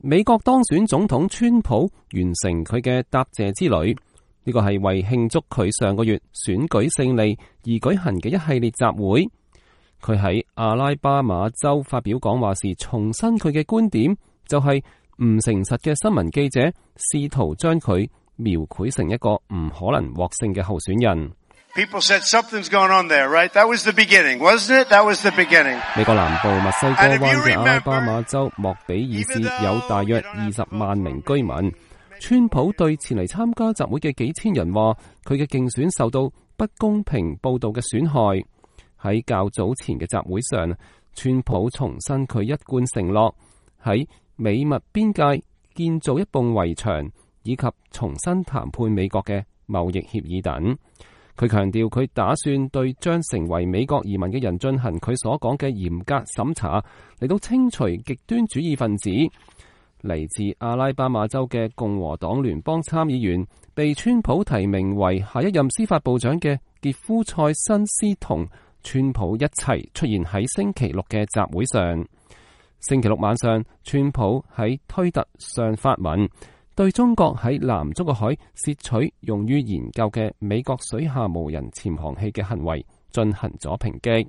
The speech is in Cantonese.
美國當選總統川普完成佢嘅答謝之旅，呢個係為慶祝佢上個月選舉勝利而舉行嘅一系列集會。佢喺阿拉巴馬州發表講話時，重申佢嘅觀點，就係唔誠實嘅新聞記者試圖將佢描繪成一個唔可能獲勝嘅候選人。People said something's going on there, right? That was the beginning, wasn't it? That was the beginning. 美國南部墨西哥灣嘅阿拉巴馬州莫比爾市有大約20萬名居民。川普對前嚟參加集會嘅幾千人話，佢嘅競選受到不公平報道嘅損害。喺較早前嘅集會上，川普重申佢一貫承諾喺美墨邊界建造一埲圍牆，以及重新談判美國嘅貿易協議等。佢強調佢打算對將成為美國移民嘅人進行佢所講嘅嚴格審查，嚟到清除極端主義分子。嚟自阿拉巴馬州嘅共和黨聯邦參議員被川普提名為下一任司法部長嘅傑夫塞辛斯同川普一齊出現喺星期六嘅集會上。星期六晚上，川普喺推特上發文，對中國喺南中國海竊取用於研究嘅美國水下無人潛航器嘅行為進行咗抨擊。